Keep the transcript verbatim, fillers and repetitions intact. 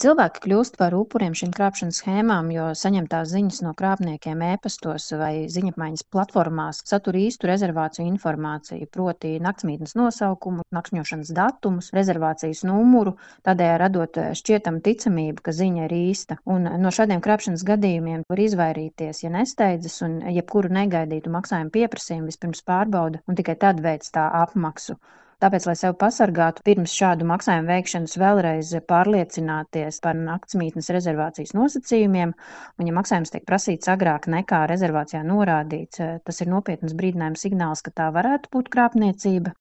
Cilvēki kļūst par upuriem šīm krāpšanas schēmām, jo saņemtās ziņas no krāpniekiem e-pastos vai ziņapmaiņas platformās satur īstu rezervāciju informāciju, proti naktsmītnes nosaukumu, nakšņošanas datumus, rezervācijas numuru, tādējādi radot šķietamu ticamību, ka ziņa ir īsta. Un no šādiem krāpšanas gadījumiem var izvairīties, ja nesteidzas un jebkuru negaidītu maksājumu pieprasījumu vispirms pārbauda un tikai tad veic tā apmaksu. Tāpēc, lai sevi pasargātu, pirms šādu maksājumu veikšanas vēlreiz pārliecināties par naktsmītnes rezervācijas nosacījumiem, un ja maksājums tiek prasīts agrāk nekā rezervācijā norādīts, tas ir nopietnas brīdinājuma signāls, ka tā varētu būt krāpniecība.